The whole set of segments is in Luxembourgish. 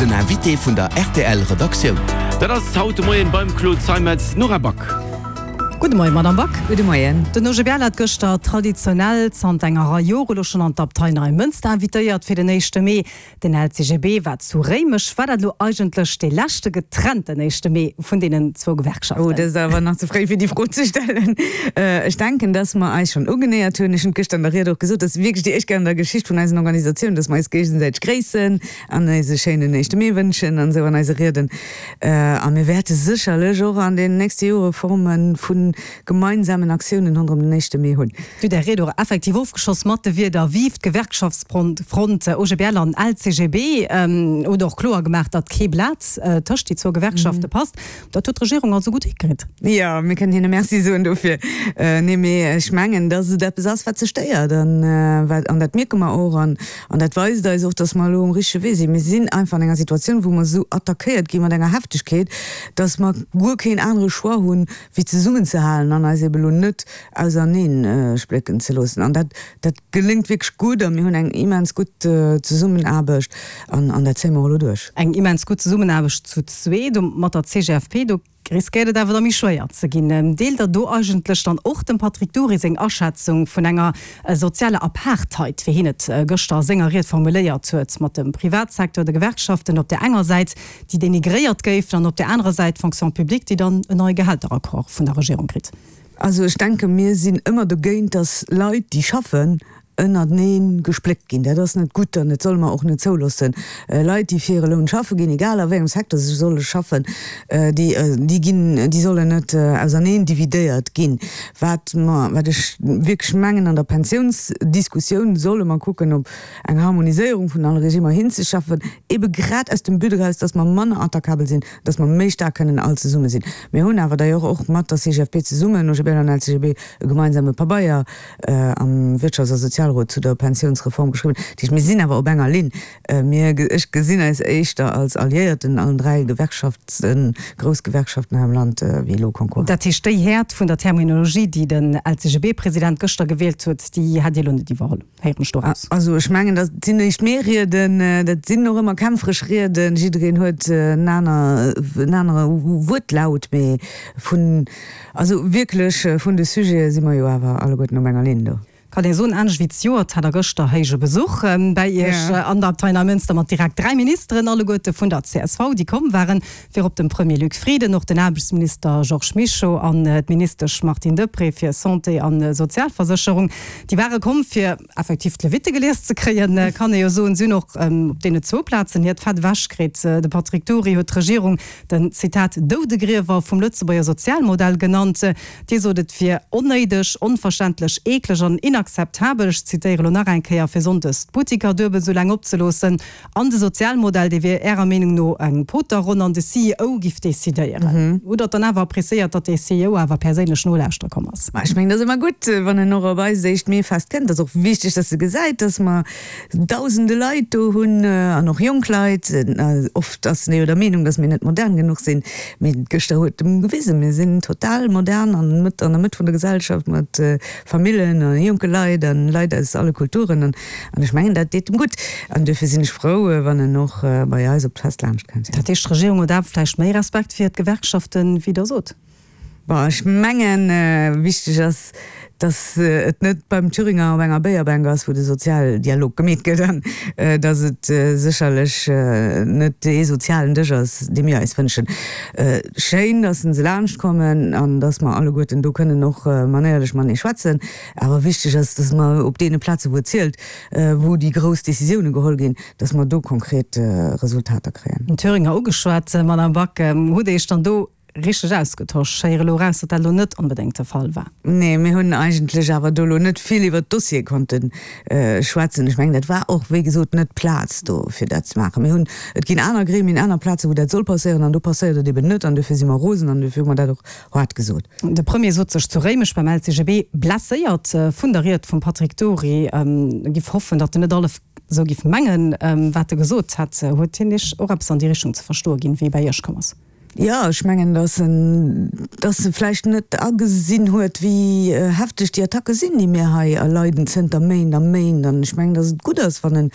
Den Invité vun der rtl Redaktioun. Dat ass haut de Moien beim Claude Zeimetz d'Nora Back. Gudde Moien, Madamm Back. Gudde Moien. Den OGBL hat gëschter traditionell zanter enger Rei Jore elo schonn an d'Abtei Neimënster invitéiert fir den éischte Mee. Den LCGB war zu Réimech. War dat elo eigentlech dee leschte getrennten éischte Mee vun deenen zwou Gewerkschaften? Oh, dat ass awer nach ze fréi fir déi Fro ze stellen. Ech denken, dass mer eis schonn ugenéiert hunn. Ech hunn et gëschter an der Ried och gesot, dass wierklech déi éischt Kéier an der Geschicht vun eisen Organisatiounen, dass mer eis géigesäiteg gréissen an eis e schéinen éischte Mee wënschen an esou an eise Rieden. A mir wäerte sécherlech och an den nächste Jore Forme vu gemeinsamen Aktiounen ronderëm den éischte Mee hunn. Dir hutt Är Ried och effektiv ofgeschloss mat de Wierder Vive d'Gewerkschaftsfront, OGBL an LCGB. Hutt och kloer gemaach, datt kee Blat tëscht déi zwou Gewerkschafte passt. Dat huet d'Regierung also gutt hikritt. Jo, mir kënnen hinne Merci soen dofir. Nee, mee ech mengen, datt et eppes ass, wat se stéiert an wat, an dat mierke mer och an dat weist eis och, datt mer elo um richtege Wee sinn. Mir sinn einfach an enger Situatioun, wou mer esou attackéiert gi mat enger Heftegkeet, datt mer guer keen anere Choix hunn, wéi zesummenzehalen an eis ebe lo net auserneen splécken ze loossen. An dat, dat geléngt wierklech gutt a mir hunn eng immens gutt Zesummenaarbecht an, an dat zéie mer och elo duerch. Eng immens gutt Zesummenaarbecht zu zweet mat der CGFP, do riskéiert et awer da méi schwéier ze ginn. Deelt Der do eigentlech dann och dem Patrick Dury seng Aschätzung vun enger sozialer Apartheid, wéi hien et gëschter a senger Ried formuléiert huet, mat dem Privatsecteur, de Gewerkschaften op där enger Säit, déi denigréiert géifen, an op där anerer Säit d'Fonction publique, déi dann en neie Gehälteraccord vun der Regierung kritt. Also ech denke mir sinn ëmmer dogéint, datt Leit, déi schaffen, ënnertenee gespléckt ginn. Dat ass net gutt an dat solle mer och net zouloossen. Leit, déi fir hire Loun schaffe ginn, egal a wéi engem Secteur se solle schaffen, déi, déi ginn, déi sollen net auserneen dividéiert ginn. Wat mer, wat ech wierklech mengen, an der Pensiounsdiskussioun solle mer kucken, op eng Harmoniséierung vun alle Regimer hinzeschaffen, ebe grad aus dem But eraus, dass mer manner attackabel sinn, dass mer méi staark kënnen all zesumme sinn. Mir hunn awer d'ailleurs och mat der CGFP zesummen, OGBL an LCGB, e gemeinsame Pabeier am Wirtschafts a Sozialrot zu der Pensiounsreform geschriwwen. Dat heescht, mir sinn awer op enger Linn. Mir, ech gesinn eis éischter als Alliéierten, allen 3 Gewerkschaften, grouss Gewerkschaften hei am Land, wéi elo Konkurrenten. Dat heescht, déi Häert vun der Terminologie, déi den LCGB-President gëschter gewielt huet, déi hätt Dir elo net iwwerholl? Héieren ech doraus. Also ech mengen, dat sinn éischt mee Rieden, dat sinn och ëmmer kämpferesch Rieden, jiddereen huet en aner, en anere Wuertlaut, mee vun, also wierklech vun de Sujete si mer jo awer alleguerten op enger Linn do. Kann ee soen, anescht wéi zejoert hat der gëschter héije Besuch bäi Iech an der Abtei Neimënster mat direkt 3 Ministeren, alleguerte vun der csv, déi komm waren, virop dem Premier Luc Frieden, och den Aarbechtsminister Georges Mischo an d'Ministesch Martine Deprez fir Santé a Sozialversécherung. Déi ware komm, fir effektiv d'Levitte gelies ze kréien, kann ee jo soen. Si hunn och op deene zwou Plazen hiert Fett ewech kritt. De Patrick Dury huet d'Regierung den, Zitat, Doudegriewer vum Lëtzebuerger Sozialmodell genannt. Dir sot, et wier onnéideg, onverständlech, eekleg an inakzeptabel, ech zitéiere lo nach eng Kéier, fir sonndes d'Buttiker duebel esou laang opzeloossen. An de Sozialmodell, dee wier Ärer Meenung no eng Poterronn an de CEO giff decidéieren. Hutt Der dann awer appréciéiert, datt dee CEO awer perséinlech nolauschtere komm ass? Ma ech mengen, et ass ëmmer gutt, wann en och op eist éischt Meefest kënnt. Et ass och wichteg, datt e gesäit, datt mer dausende Leit do hunn an och jonk Leit. Oft ass en jo der Meenung, datt mir net modern genuch sinn. Mee gëschter huet e gewisen, mir sinn total modern an an der Mëtt vun der Gesellschaft mat Famillen a jonke Leit a Leit aus alle Kulturen. An ech mengen, dat deet em gutt. An duerfir sinn ech frou, wann en och bei eis op d'Fest laanscht kënnt. Dat heescht, d'Regierung huet awer vläicht méi Respekt fir d'Gewerkschaften, wéi Der sot? Bon, ech mengen, wichteg ass, datt et net beim Thüringer op enger Béierbänk ass, wou de Sozialdialog gemeet gëtt, an datt et sécherlech net dee sozialen Dësch ass, dee mir eis wënschen. Schéin, datt se laanscht kommen an datt mer alleguerten do kënnen och manéierlech matenee schwätzen. Awer wichteg ass, dass mer op deene Plaze wou et zielt, wou déi grouss Décisioune geholl ginn, dass mer do konkret Resultater kréien. Den Thüringer ugeschwat, Madame Back, hutt Dir Iech dann do richteg ausgetosch? Ech héiere elo eraus, datt dat elo net onbedéngt de Fall war. Nee, mir hunn eigentlech awer do elo net vill iwwert d'Dossiere konnte schwätzen. Ech mengen, dat war och, wéi gesot, net d'Plaz do, fir dat ze maachen. Mir hunn, et ginn aner Gremien, aner Plazen, wou dat soll passéieren, an do passéiert et eben net. An dofir si mer rosen an dofir hu mer dat och haart gesot. De Premier sot sech zu Réimech beim LCGB blesséiert vun der Ried vum Patrick Dury. E giff hoffen, datt en net alle sou giff mengen, wat e gesot hätt. Huet hien Iech och eppes an déi Richtung ze verstoe ginn, wéi e bäi Iech komm ass? Jo, ech mengen, datt en, datt e vläicht net agesinn huet, wéi hefteg déi Attacke sinn, déi mir hei erleiden zënter Méint a Méint. An ech mengen, datt et gutt ass, wann en,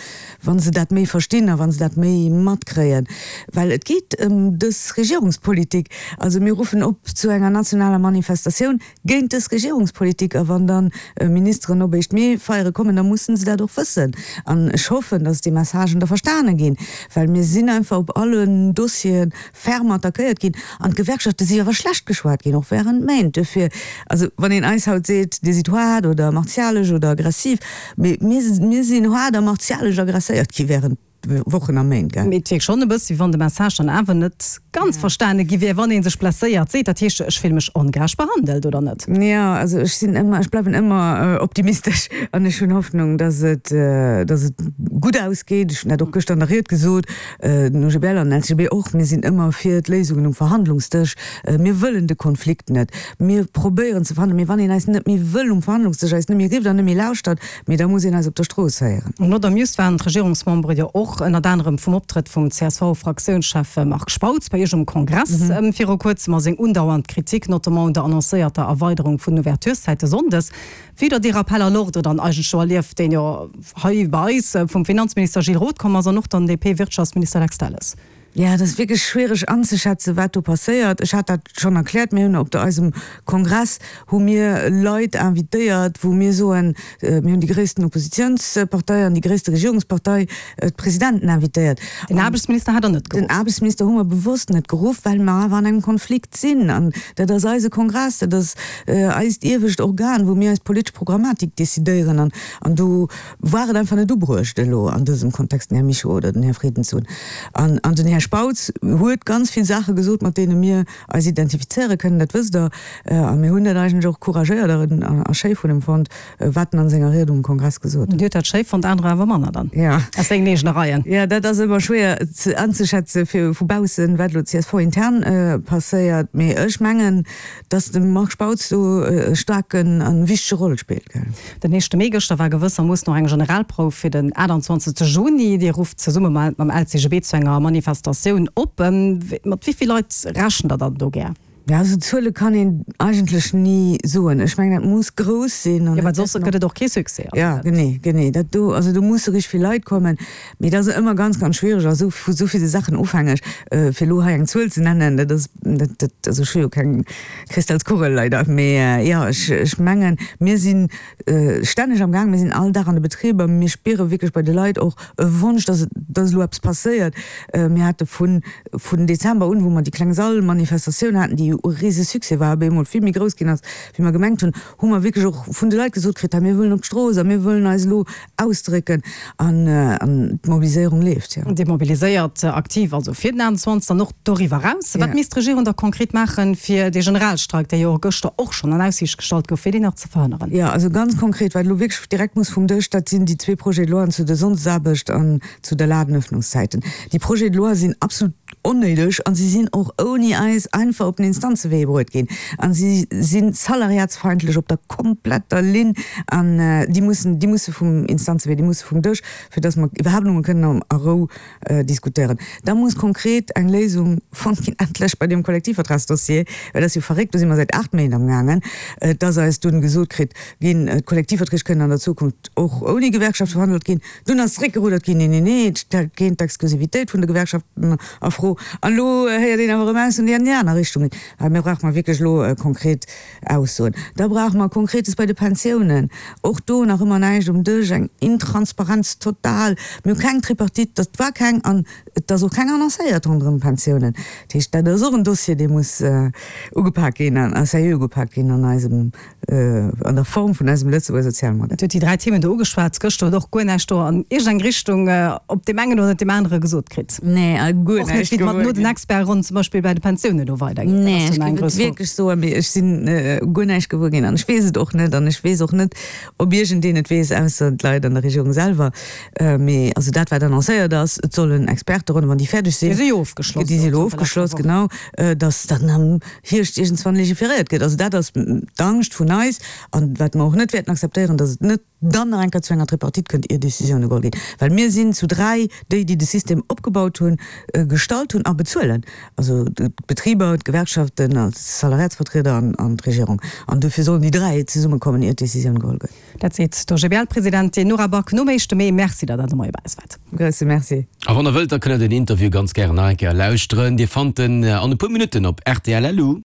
wa se dat méi verstinn a wa se dat méi matkréien, well et geet ëm dës Regierungspolitik. Also mir ruffen op zu enger nationaler Manifestatioun géint dës Regierungspolitik. A wann dann Ministeren op éischt Mee feiere kommen, da mussen se dat och wëssen. An ech hoffen, datt déi Messagen da verstane ginn, well mir sinn einfach op allen Dossiere ferme attackéiert ginn. An d'Gewerkschafte si awer schlecht geschwat ginn, och während Méint. Duerfir, also wann een eis haut seet, Dir sidd haart oder martialesch oder aggressiv, mee mir, mir sinn haart a martialesch aggresséiert gi während Wochen a Méint, gell? Mee et wierkt schonn e bëssi, wéi wann de Message dann awer net ganz verstane gi wier, wann ee sech blesséiert seet. Dat heescht, ech fille mech ongerecht behandelt, oder net? Jo, also ech sinn ëmmer, ech bleiwen ëmmer optimistesch an ech hunn Hoffnung, dass et, dass et gutt ausgeet. Ech hunn dat och gëschter an der Ried gesot, den OGBL an den LCGB och, mir sinn ëmmer fir d'Léisungen um Verhandlungsdësch. Mir wëllen de Konflikt net. Mir probéieren ze verhandelen. Mee wann een eis net méi wëll um Verhandlungsdësch, eis net méi rifft an net méi lauschtert, Mee da muss een eis op der Strooss héieren. Not amused waren d'Regierungsmembere jo och ënnert anerem vum Optrëtt vum CSV-Fraktiounschef Marc Spautz bei Iech um Kongress viru kuerzem a seng undauernd Kritik, notamment un der annoncéierter Erweiderung vun den Ouvertureszäite sonndes. Wéi der dee Rappel à l'ordre dann eigentlech do erlieft, deen jo hei bei eis vum Finanzminister Gilles Roth komm ass an och dann DP-Wirtschaftsminister Lex Delles. Jo, et ass wierklech schwiereg anzeschätzen, wat do passéiert. Ech hat dat schonn erkläert. Mir hunn op der eisem Kongress hu mir Leit invitéiert, wou mir soen, mir hunn déi gréissten Oppositionspartei an déi gréisste Regierungspartei, d'Presidenten invitéiert. Den Aarbechtsminister hat Der net geruff? Den Aarbechtsminister hu mer bewosst net geruff, well mer awer an engem Konflikt sinn. An dat ass eise Kongress, dat ass eist iewescht Organ, wou mir eis politesch Programmatik decidéieren. An do War et einfach net ubruecht elo an dësem Kontext den Här Mischo oder den Här Frieden ze hunn. An an den Här Spautz huet ganz vill Saache gesot, mat deene mir eis identifizéiere kënnen, dat wësst Der. A mir hunn dat eigentlech och couragéiert a schéi vun em fonnt, wat en an senger Ried um Kongress gesot huet. Dir hutt dat schéi fonnt, anerer awer manner dann aus sengen eegene Reien. Jo, dat ass ëmmer schwéier ze anzeschätze fir vu baussen, wat elo CSV-intern passéiert. Mee ech mengen, dass de Marc Spautz do e staarken a wichtege Roll spillt. Den éischte Mee gëschter war gewëssermoossen och eng Generalprouf fir den 28 Juni. Dir rufft zesumme mam LCGB zu enger Manifestatioun op. Mat wéi vill Leit rechent der dann do gär? Jo, also Zuele kann een eigentlech ni soen. Ech mengen, dat muss grouss sinn. Jo, well soss gëtt et och kee Succès. Jo, genee, genee. Dat do, also do musse richteg vill Leit kommen. Mee et ass ëmmer ganz, ganz schwiereg a sou vu sou ville Saachen ofhängeg, fir elo hei eng Zuel ze nennen. Dat ass, dat, dat, also ech hu jo keng Kristallskugel leider. Mee jo, ech, ech mengen, mir si stänneg am Gaang, mir sinn all Dag an de Betriber, mir spiere wierklech bei de Leit och e Wonsch, dass et, dass elo eppes passéiert. Mir hate vun, vun Dezember un, wou mer déi kleng Sall-Manifestatioun haten, déi jo e Risesuccès war, op eemol vill méi grouss ginn ass, wéi mer gemengt hunn, hu mer wierklech och vun de Leit gesot kritt, hei mir wëllen op d'Strooss a mir wëllen eis elo ausdrécken an d'Mobiliséierung leeft, jo. Dir mobiliséiert aktiv also fir den 28 an och doriwwer eraus. Wat misst d'Regierung da konkret maachen, fir dee Generalstreik, dee jo gëschter och schonn an Aussiicht gestallt gouf, fir deen nach ze verhënneren? Jo, also ganz konkret, wat elo wierklech direkt muss vum Dësch, dat sinn déi zwee Projets de loi zu der Sonndesaarbecht an zu der Ladenöffnungszäiten. Déi Projets de loi sinn absolut onnéideg a si sinn och ouni eis einfach op den Instanzewee bruet ginn a si si salariatsfeindlech op der kompletter Linn an déi mussen, déi musse vum Instanzewee, déi musse vum Dësch, fir datt mer iwwerhaapt emol kënnen a Rou diskutéieren. Da muss konkret eng Léisung fonnt ginn, endlech bei deem Kollektivvertragsdossier, well dat ass jo verréckt, do si mer säit 8 Méint amgaangen, dass eis dunn gesot kritt ginn, d'Kollektivverträg kënnen an der Zukunft och ouni Gewerkschaft verhandelt ginn. Dunn ass zeréckgeruddert ginn, Nee, nee, nee, et stellt keen d'Exklusivitéit vun de Gewerkschaften a Fro. An elo héiert een awer erëm Aussoen, déi an déi aner Richtung ginn. Well mir brauche mer wierklech elo konkret Aussoen. Da brauche mer Konkretes bei de Pensiounen. Och do nach ëmmer näischt um Dësch, eng Intransparenz total. Mir hu keng Tripartite, dat war keng an et ass och keng annoncéiert ronderëm d'Pensiounen. Dat heescht, dat ass och en Dossier, dee muss ugepak ginn a sérieux ugepak ginn an eisem an der Form vun eisem Lëtzebuerger Sozialmodell. Dir hutt déi 3 Themen do ugeschwat. Gëschter huet och guer näischt do an iergend eng Richtung op deem engen oder deem anere gesot kritt. Nee, a guer Och net, näischt wéi et mat gewuer no den ginn. Expertronnen zum Beispill bei de Pensiounen elo weidergeet. Dat Nee, ass jo ech nach eng géif et grouss Fro. wierklech soen, mee ech sinn guer näischt gewuer ginn an ech weess et och net an ech weess och net, ob iergendeen et weess, ausser d'Leit an der Regierung selwer. Mee also dat, wat annoncéiert ass, et sollen Experteronnen, wann déi fäerdeg sinn, Déi si jo ofgeschloss déi si elo elo zanter leschter ofgeschloss, Woch. genau, datt dann am Hierscht iergendswann legiferéiert gëtt. Also dat ass d'Angscht vun eis an wat mer och net wäerten akzeptéieren, datt et net. dann nach eng Kéier zu enger Tripartite kënnt, ier Décisioune geholl ginn. Well mir sinn zu 3 déi, déi de System opgebaut hunn, gestallt hunn a bezuelen, also d'Betriber, d'Gewerkschaften als Salariatsvertrieder an d'Regierung. An dofir sollen déi 3 zesummekommen, ier d'Décisioun geholl gëtt. Dat seet d'OGBL-Presidentin Nora Back nom éischte Mee. Merci, datt Der de Moie bei eis waart. Grousse Merci. A wann Der wëllt, da kënnt Der den Interview ganz gären nach eng Kéier lauschteren. Dir fannt en an e puer Minutten op rtl. Lu.